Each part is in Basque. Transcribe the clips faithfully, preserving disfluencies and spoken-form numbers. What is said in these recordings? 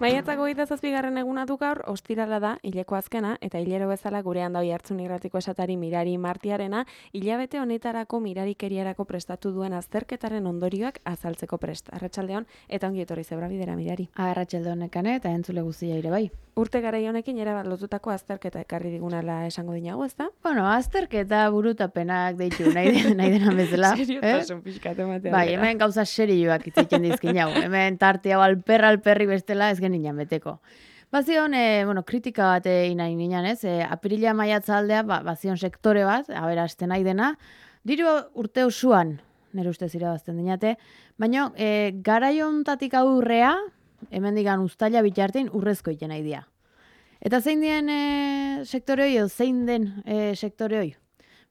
Maiatzak hogeita zazpigarren eguna du gaur, ostirala da, hileko azkena, eta hilero bezala gurean dau jartzun irratiko esatari Mirari Martiarena, hilabete honetarako mirarikeriarako prestatu duen azterketaren ondorioak azaltzeko prest. Arratsaldeon eta ongi etorri zebra bidera, Mirari. Arratsalde honekane eta entzule guztia ere bai. Urte garai honekin ere bat lotutako azterketa ekarri digunala esango dinago, ezta? Bueno, azterketa burutapenak deitu, nahi, den, nahi dena bezala. Seriotasun eh? Pixkat ematea. Bai, hemen gauza serioak itzaiten dizkin jau. Hemen tarte hau alperra alperri bestela ez geninan beteko. Bazion, e, bueno, kritika bat egin nahi ninan, ez? E, apirila maiatza aldea, ba, bazion sektore bat, aberasten nahi dena, diru urte osoan, nire ustez irabazten dinate, baina e, garaiontatik aurrea, hemen digan ustaila bitartein urrezko iten nahi dia. Eta zein dien e, sektore hoi, edo zein den e, sektore hoi?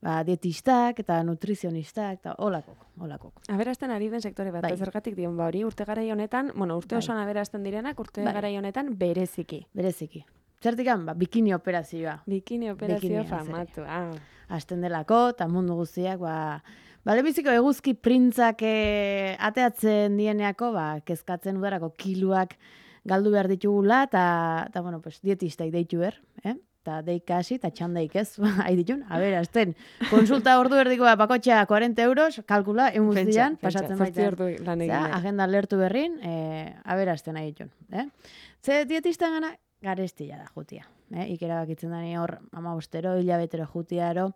Ba, dietistak eta nutrizionistak eta olakok, olakok. Aberasten ari den sektore bat, bai. Zergatik dion ba hori, urte garai honetan, bueno, urte bai. osoan aberasten direnak, urte bai. garai honetan bereziki. Bereziki. Zertikan, ba, bikini operazioa. Bikini operazioa Bikini, famatu, ah. Hasten delako, eta mundu guztiak, ba, ba lebiziko eguzki printzak e, ateatzen dieneako, ba, kezkatzen udarako kiluak galdu behar ditugula, eta, eta bueno, pues, dietistak deitu ber, eh? Eta deika hasi, eta txandaik ez, hain ditun, a ber, azten, konsulta ordu erdiko bat, bakotxea cuarenta euros, kalkula, egun guztian, pasatzen baita. Zea, agenda lertu berrin, e, a ber, azten nahi ditun. Eh? Ze dietistan gana, garestia da jutia. Eh? Ikera bakitzen dani hor, ama bostero, hilabetero jutiaro,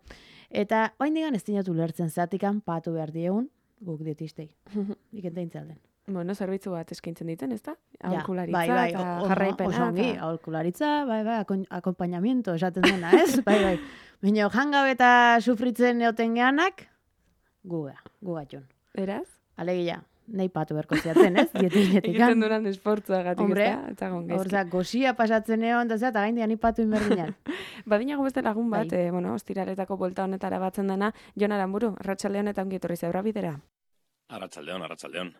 eta hain digan ez dinatu lertzen zatikan, patu behar diegun, guk dietistei. Ikenten intzalden. Bueno, zerbitzu bat eskaintzen diten, ezta? Ja, aholkularitza bai, bai, eta o, jarraipena. Oso ongi, aholkularitza, bai, bai, akompainamiento esaten dena, ez? Bai, bai. Baina jangabe eta sufritzen neoten geanak, guga, gugatxun. Eraz? Alegia, nahi patu berko ziaten, ez? Dietinetikan. Egiten duran esfortzua gatik, Hombre, ezta? Horza, gozia pasatzen egon, eta eta gaindian ipatu inberdinan. Badinago beste lagun bat, bai. eh, bueno, ostiraletako bolta honetara batzen dena, Jon Aramburu, arratsaldeon eta ongi etorri zebra bidera. Arratsaldeon, arratsaldeon.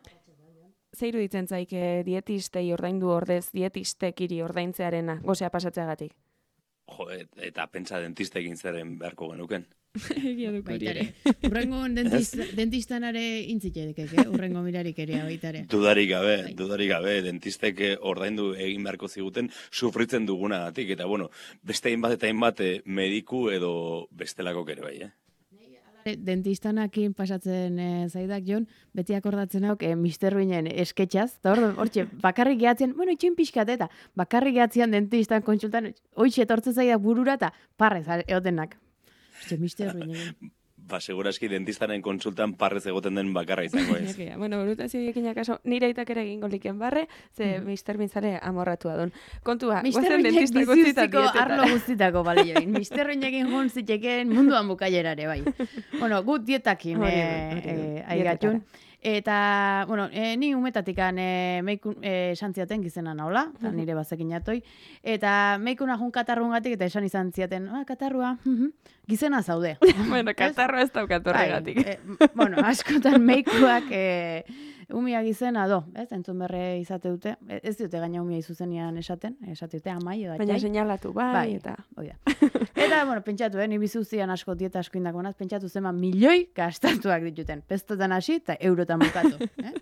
Zeiru ditzen zaik dietistei ordaindu ordez, dietistek hiri ordaintzearena, gozea pasatzeagatik? Jo, et, eta pentsa dentistekin zeren beharko genuken. Egia duk hori ere. Urrengo dentist, dentistanare intzitedekek, eh? Urrengo mirarikeria baitare. Dudarik gabe, dudarik gabe, dentistek ordaindu egin beharko ziguten sufritzen dugunagatik. Eta bueno, beste hainbat eta hainbat mediku edo bestelako ere bai, eh? Dentistanakin pasatzen e, zaidak, Jon, beti akordatzen hauk e, mister Ruinen esketxaz, eta hor, hortxe, bakarrik gehatzen, bueno, itxin pixkat, eta bakarrik gehatzean dentistan kontsultan, hoitxe etortzen zaidak burura, eta parrez egotenak. Hortxe, mister Ruinen. Ba, seguraski dentistaren konsultan parrez egoten den bakarra izango ez. Bueno, brutazio diekin akaso, nire aitak ere egingo liken barre, ze mm. mister Binzare amorratua don. Kontua, guazen dentistak guztitako arlo guztitako balioin. mister Ruinekin jun zitekeen munduan bukaierare, bai. Bueno, gut dietakin eh, aigatxun. Eta, bueno, e, ni umetatikan e, meikun e, santziaten gizena naola, eta nire bazekin jatoi. Eta meikuna jun katarruengatik eta esan izan ziaten, ah, katarrua, gizena zaude. Bueno, katarrua ez daukat horregatik. E, bueno, askotan meikuak e, umia gizena do, ez? Entzun berre izate dute. Ez dute gaina umia izuzenian esaten, esate dute amai edo atxai. Baina seinalatu bai, bai eta... Oida. Eta, bueno, pentsatu, eh, ni bizuzian asko dieta asko indako naz, pentsatu zema milioi gastatuak dituten. Pestotan hasi eta eurotan bukatu. Eh?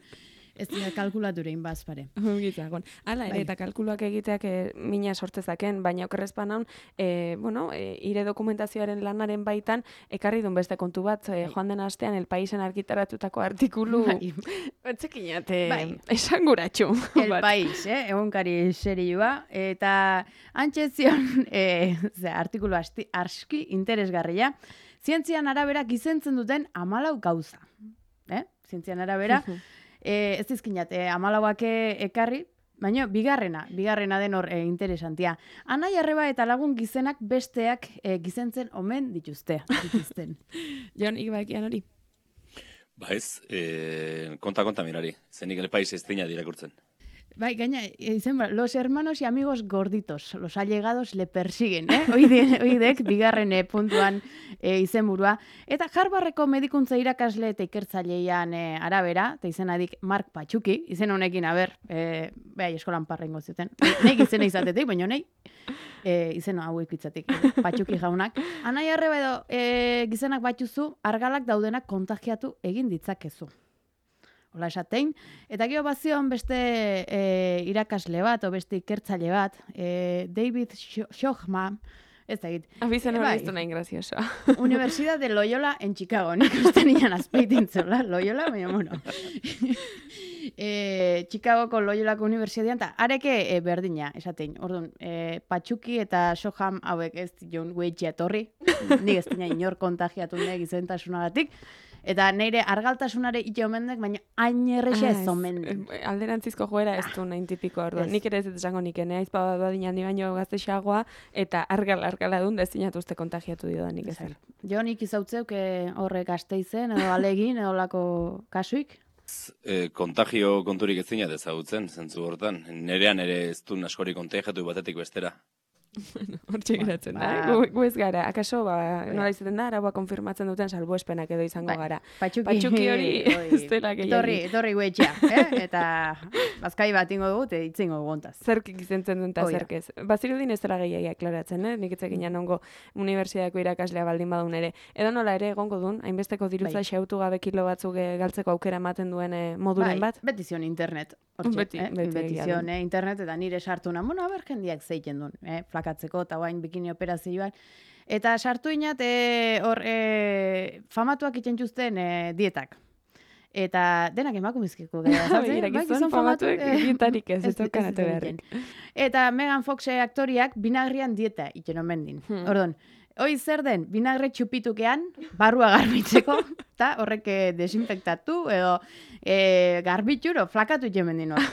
Ez dira kalkulaturein bazpare. Gitzagon. Hala, ere, eta kalkuluak egiteak e, mina sortezaken, baina okerrezpan haun, e, bueno, e, ire dokumentazioaren lanaren baitan, ekarri duen beste kontu bat, e, joan den astean, El Paisen argitaratutako artikulu, etzekinate, bai. Esanguratxu. El País, eh? Egunkari serioa, eta antxezion, e, ze, artikulu asti, arski interesgarria, zientzian arabera gizentzen duten hamalau gauza. Eh? Zientzian arabera, E, ez dizkinat, e, amalauak ekarri, baina bigarrena, bigarrena den hor e, interesantia. Anai arreba eta lagun gizenak besteak e, gizentzen omen dituzte. dituzten. Jon, ikbaikian hori? Ba ez, e, konta konta mirari, zenik El País ez dina dirakurtzen. Bai, gaina, izen ba, los hermanos y amigos gorditos, los allegados le persiguen, eh? Oide, oidek, bigarren e, puntuan e, izenburua. Eta Harvardeko medikuntza irakasle eta ikertzailean e, arabera, eta izenadik Mark Patxuki, izen honekin, aber, e, behai eskolan parrengo zuten. Nek izena izatetik, baina nahi, e, izen hauek itzatik, Patxuki jaunak. Anai arreba edo e, gizenak batxuzu, argalak daudenak kontagiatu egin ditzakezu. hola esatein. Eta gero bazion beste e, irakasle bat, o beste ikertzaile bat, e, David Shochman, ez da egit. Abizen hori bai. iztu nahi grazioso. Universidad de Loyola en Chicago, nik uste nian azpeitintzola, Loyola, baina bueno. e, Chicagoko Loyolako Universidadean, eta areke e, berdina, esatein. Orduan, e, Patxuki eta Soham hauek ez dion guetxea etorri, nik ez dina inor kontagiatu nek izentasunagatik, eta neire argaltasunare ite omendek, baina hain errexe ez omendek. Alderantzizko joera ez du nahin tipiko, orduan. Nik ere ez dut esango nik, ene aizpa badin handi baino gaztexagoa, eta argal argala duen dezinatu uste kontagiatu dio da nik ezer. Jo nik izautzeuk horrek Gasteizen, edo alegin, edo lako kasuik. E, kontagio konturik ez zinat ezagutzen, zentzu hortan. Nerean ere ez du askori kontagiatu batetik bestera. Hortxe geratzen da, gu, gu ez gara. Akaso, ba, nola izaten da, araua konfirmatzen duten salbuespenak edo izango ba, gara. Patxuki, Patxuki hori ez dela gehiagin. Etorri, etorri guetxea, eh? Eta bazkai bat ingo dugu, eta itzingo gugontaz. Zerk izentzen duen eta zerk ez. Bazirudin ez dela gehiagia aklaratzen, eh? Nik etzekin ongo unibertsiadeko irakaslea baldin badun ere. Edo nola ere egongo duen, hainbesteko dirutza bai. Xautu gabe kilo batzuk galtzeko aukera ematen duen eh, moduren bai, bat. Beti zion internet. Hortxe, beti, eh? beti, beti zion eh? internet, eta nire sartu na, bueno, aber jendiak zeiten duen, eh? Flakatzeko, eta guain bikini operazioan. Eta sartu inat, e, hor, e, famatuak itxentxuzten e, dietak. Eta denak emakumizkiko gara. Bai, gizon famatuek dietarik ez, ez dokanate beharrik. Eta Megan Fox aktoriak binagrian dieta itxen omendin. Hmm. Ordon, hoi zer den, binagre txupitukean, barrua garbitzeko, eta horrek desinfektatu, edo e, garbitxuro, flakatu itxemendin hor.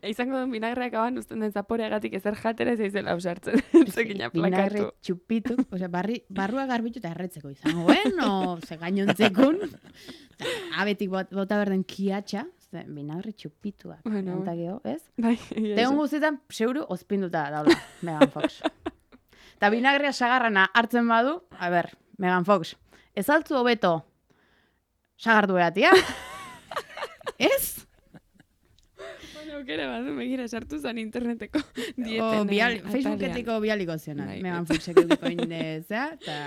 Izango duen binagreak aban usten den zaporeagatik ezer jatera ez eizela ausartzen. Zekina plakatu. Binagre txupitu, osea, barri, barrua garbitxu eta erretzeko izango, bueno, ze gainontzekun, abetik bot, bota berden kiatxa, binagre txupituak. Bueno. Eta geho, ez? Bai, Tegon guztietan, zeuru, ospinduta daula, Megan Fox. Eta binagrea sagarrana hartzen badu, a ber, Megan Fox, ez altzu hobeto sagardu eratia? Ez? Bueno, aukera badu, begira sartu zan interneteko dieten. O, bial, Facebooketiko bialiko ziona, bai, Megan Foxek eukiko indezea, eta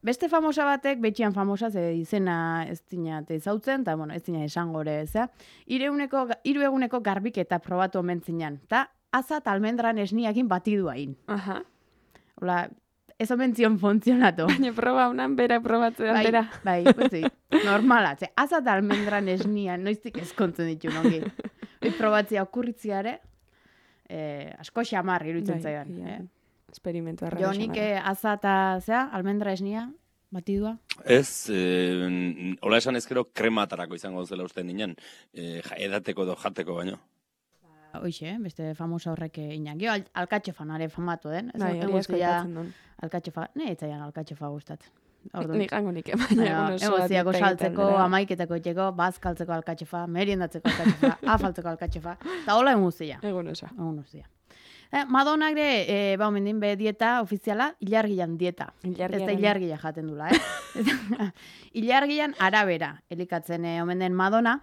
beste famosa batek, betxian famosa, ze izena ez dinat ezautzen, eta bueno, ez dinat esangore, zea, hiru eguneko garbiketa probatu omen zinan, eta azat almendran esniakin batidu hain. Aha. Hola, ez omen zion funtzionatu. Baina proba unan bera probatzean bai, bera. Bai, pues sí, normala, ze azat almendran esnian, noiztik eskontzen ditu nongi. Hoi probatzea okurritziare, eh, asko xamar iruditzen zaidan. Ja. Eh? Experimentu arra. Jo nik azata, zea, almendra esnia, batidua. Ez, eh, hola esan ezkero krematarako izango zela uste ninen, eh, edateko edo jateko baino. Hoixe, beste famosa horrek inak. Jo, al alkatxofanare famatu den. Bai, hori asko ikatzen duen. Alkatxofa, ne, etzaian alkatxofa gustat. Nik hango nik, baina egoziako saltzeko, amaiketako etxeko, bazkaltzeko alkatxofa, meriendatzeko alkatxofa, afaltzeko alkatxofa, eta hola eguzia. Egun osa. Egun uzia. Eh, Madonna ere, eh, ba, omendin be dieta ofiziala, ilargian dieta. Ez da ilargia jaten dula, eh? Ilargian arabera, elikatzen eh, omenden Madonna,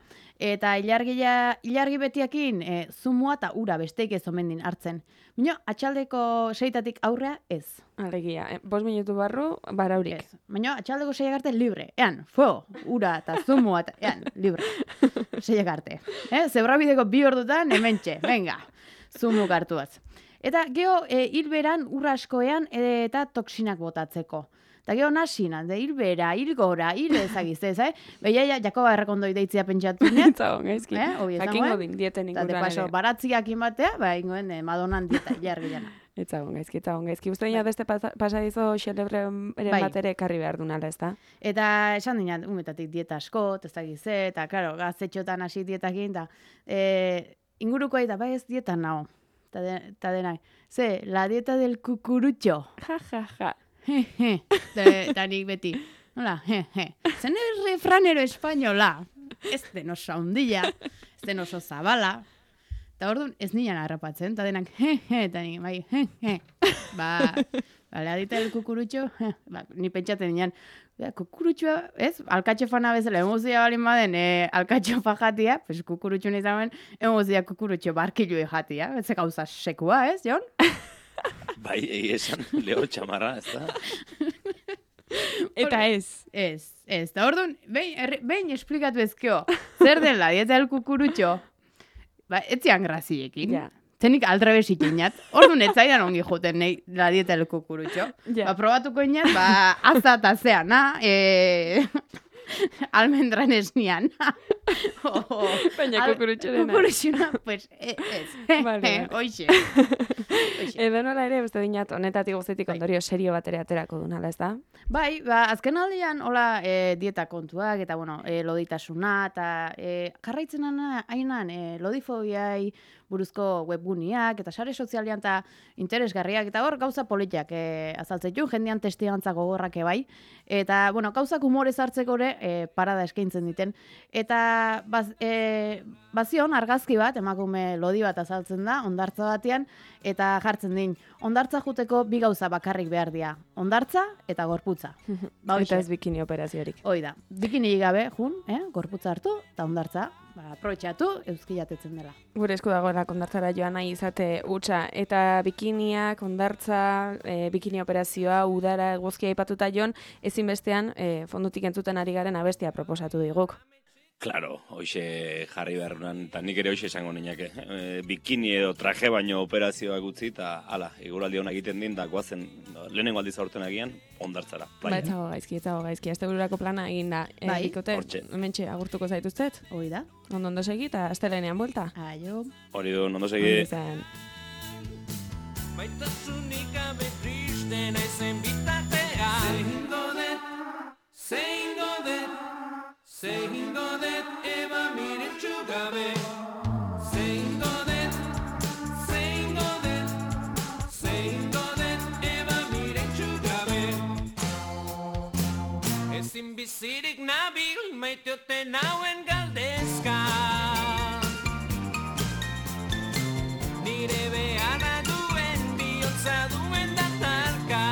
eta ilargia, ilargi betiakin eh, zumua eta ura besteik ez omendin hartzen. Bino, atxaldeko seitatik aurrea ez. Alegia, eh, bos minutu barru, baraurik. Ez. Baina, atxaldeko seiak arte libre. Ean, fuego, ura eta zumua eta, ean, libre. Seiak arte. Eh? Zebrabideko bi ordutan, hementxe, venga, zumuk hartuaz. Eta geho, e, hilberan ur askoean e, eta toksinak botatzeko. Eta geho nasina, de hilbera, hilgora, hil ezagiztez, eh? Beia, Jakoba errekondoi deitzia pentsatu nean. Zagon, gaizki. Eh? Jakingo din, dieten inguruan ere. Eta de paso, baratziak inbatea, ba, ingoen eh, Madonan dieta ilargiana. Etzagon gaizki, etzagon gaizki. Uste dina beste pasadizo xelebre ere bai. bat ere karri behar dunala, ez da? Eta esan dina, umetatik dieta asko, ez dakize, eta, karo, gaztetxotan hasi dietakin, eta e, inguruko eta bai ez dieta nao. Ta, de, ta denai, ze, la dieta del cucurucho. Ja, ja, ja. Je, je. Eta nik beti, hola, je, je. Zen es refranero española. Ez den oso handila, ez den oso zabala. Eta orduan ez nian harrapatzen, eta denak, je, je, eta nik, bai, je, je. Ba, ba, la dieta del cucurucho, je. Ba, ni pentsatzen nian, ja, kukurutxoa, ez? Alkatxofana bezala, emozia balin baden, e, alkatxofa jatia, pues kukurutxo nizamen, emozia kukurutxo barkilu jatia, ez gauza sekua, ez, Jon? Bai, egi esan, leo txamarra, ez da? Eta ez. Ez, ez, da orduan, behin, behin esplikatu ezkio, zer den la dieta del kukurutxo, ba, etzian graziekin. Ja. Zenik aldrebes ikinat. Orduan etzaidan ongi joten nahi la dieta del kukurutxo. Ja. Ba, probatuko inat, ba, azta eta zeana, e... almendran esnian. oh, Baina kukurutxorena. Kukurutxona, pues, ez. Vale, vale. Hoxe. Edo nola ere, beste dinat, honetatik guztetik ondorio serio batera aterako dunala, ez da? Bai, ba, azken aldian, hola, e, dieta kontuak, eta, bueno, e, loditasuna, eta e, karraitzen hainan, e, lodifobiai buruzko webguniak, eta sare sozialian, eta interesgarriak, eta hor gauza politiak e, azaltzetun, jendean testigantza gogorrak bai, eta, bueno, gauzak humorez hartzeko ere, e, parada eskaintzen diten, eta baz, e, bazion argazki bat, emakume lodi bat azaltzen da, ondartza batean, eta jartzen din, ondartza juteko bi gauza bakarrik behar dira, ondartza eta gorputza. Ba, Eta ez bikini operaziorik. Hoi da, bikini gabe, jun, eh? Gorputza hartu, eta ondartza, ba, aprobetxatu, euski jatetzen dela. Gure esku dagoela ondartzara joan nahi izate hutsa, eta bikiniak, ondartza, e, bikini operazioa, udara, eguzkia aipatuta jon, ezinbestean e, fondutik entzuten ari garen abestia proposatu diguk. Claro, hoxe jarri beharrunan, eta nik ere hoxe esango niñake. E, bikini edo traje baino operazioak utzi, eta ala, eguraldi hona egiten din, da guazen, lehenengo aldiz aurten agian, ondartzara. Ba, etzago gaizki, etzago gaizki. Azte bururako plana egin da. E, Bai. Bikote, Hortxe. hementxe agurtuko zaituztet. Hoi da. Ondo ondo segi, eta astelenean buelta. Aio. Hori du, ondo Ongi segi. izan. Maitasunik gabe triste naizen bitartean. Zehingo dut, zehingo dut, zehingo dut eba miretsu gabe. Zehingo dut, zehingo dut, zehingo dut eba miretsu gabe. Ezin bizirik nabil maiteote nauen galdezka. Nire beharra duen bihotza duen datarka.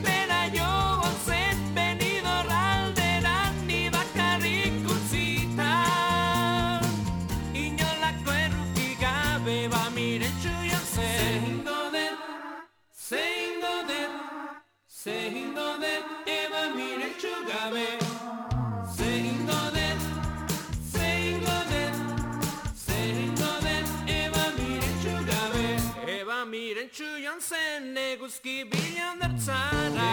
Bera joan zen benidor aldera ni bakarrik utzita. Inolako erruki gabe ba miretsu joan zen. Zehingo dut, zehingo dut, zehingo dut eba miretsu gabe. Zehingo dut, zehingo dut, zehingo dut eba miretsu gabe. Eba miretsu joan zen eguzki bilan dartzara.